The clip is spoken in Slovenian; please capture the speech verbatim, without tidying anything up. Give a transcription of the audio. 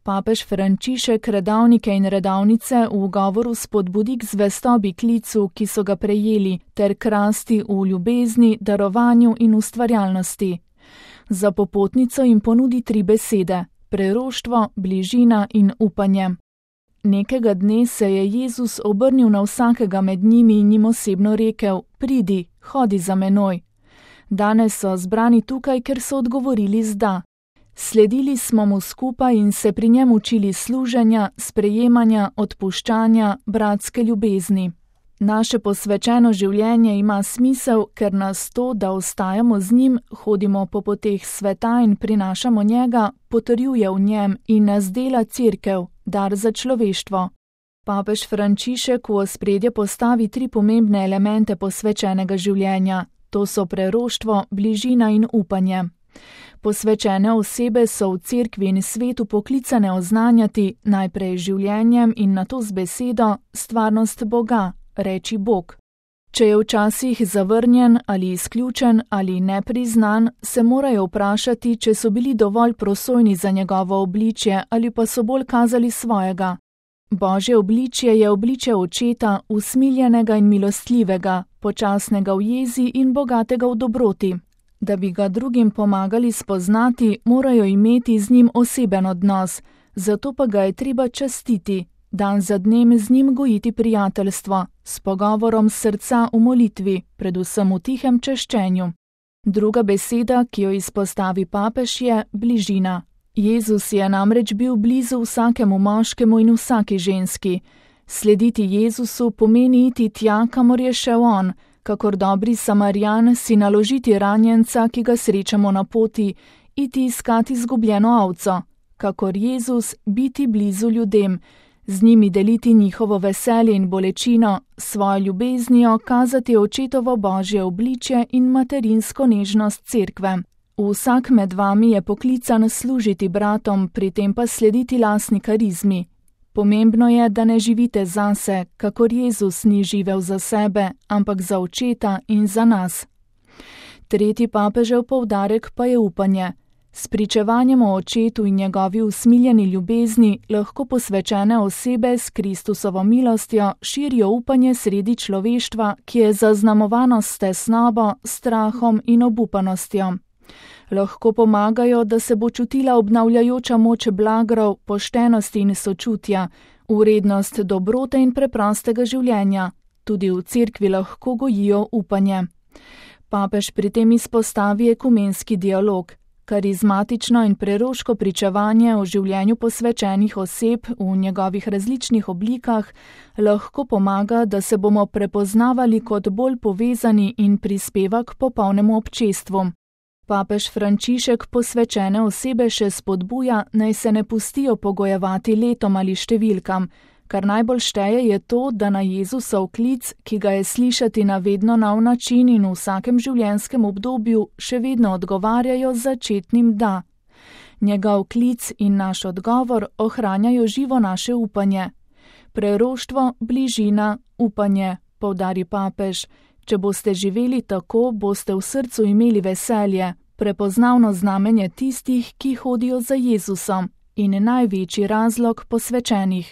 Papež Frančišek redavnike in redavnice v govoru spodbudi k zvestobi klicu, ki so ga prejeli, ter k rasti v ljubezni, darovanju in ustvarjalnosti. Za popotnico jim ponudi tri besede: preroštvo, bližina in upanje. Nekega dne se je Jezus obrnil na vsakega med njimi in jim osebno rekel: pridi, hodi za menoj. Danes so zbrani tukaj, ker so odgovorili z da. Sledili smo mu skupaj in se pri njem učili služenja, sprejemanja, odpuščanja, bratske ljubezni. Naše posvečeno življenje ima smisel, ker nas to, da ostajamo z njim, hodimo po poteh sveta in prinašamo njega, potrjuje v njem in nas dela cerkev, dar za človeštvo. Papež Frančišek v ospredje postavi tri pomembne elemente posvečenega življenja. To so preroštvo, bližina in upanje. Posvečene osebe so v cerkvi in svetu poklicane oznanjati najprej življenjem in nato z besedo stvarnost Boga, reči Bog. Če je včasih zavrnjen ali izključen ali nepriznan, se morajo vprašati, če so bili dovolj prosojni za njegovo obličje ali pa so bolj kazali svojega. Božje obličje je obličje očeta, usmiljenega in milostljivega, počasnega v jezi in bogatega v dobroti. Da bi ga drugim pomagali spoznati, morajo imeti z njim oseben odnos, zato pa ga je treba častiti, dan za dnem z njim gojiti prijateljstvo, s pogovorom srca v molitvi, predvsem v tihem češčenju. Druga beseda, ki jo izpostavi papež, je bližina. Jezus je namreč bil blizu vsakemu moškemu in vsaki ženski. Slediti Jezusu pomeni iti tja, kamor je šel on, kakor dobri Samarjan si naložiti ranjenca, ki ga srečamo na poti, iti iskati izgubljeno ovco, kakor Jezus biti blizu ljudem, z njimi deliti njihovo veselje in bolečino, svojo ljubeznijo kazati očetovo božje obličje in materinsko nežnost cerkve. Vsak med vami je poklican služiti bratom, pri tem pa slediti lastni karizmi. Pomembno je, da ne živite zase, kakor Jezus ni živel za sebe, ampak za očeta in za nas. Tretji papežev poudarek pa je upanje. S pričevanjem o očetu in njegovi usmiljeni ljubezni lahko posvečene osebe s Kristusovo milostjo širijo upanje sredi človeštva, ki je zaznamovano s tesnobo, strahom in obupanostjo. Lahko pomagajo, da se bo čutila obnavljajoča moč blagrov, poštenosti in sočutja, vrednost dobrote in preprostega življenja. Tudi v cerkvi lahko gojijo upanje. Papež pri tem izpostavi ekumenski dialog. Karizmatično in preroško pričevanje o življenju posvečenih oseb v njegovih različnih oblikah lahko pomaga, da se bomo prepoznavali kot bolj povezani in prispeva k popolnemu občestvu. Papež Frančišek posvečene osebe še spodbuja, naj se ne pustijo pogojevati letom ali številkam. Kar najbolj šteje je to, da na Jezusov klic, ki ga je slišati na vedno nov način in v vsakem življenjskem obdobju, še vedno odgovarjajo z začetnim da. Njegov klic in naš odgovor ohranjajo živo naše upanje. Preroštvo, bližina, upanje, poudari papež. Če boste živeli tako, boste v srcu imeli veselje, prepoznavno znamenje tistih, ki hodijo za Jezusom in največji razlog posvečenih.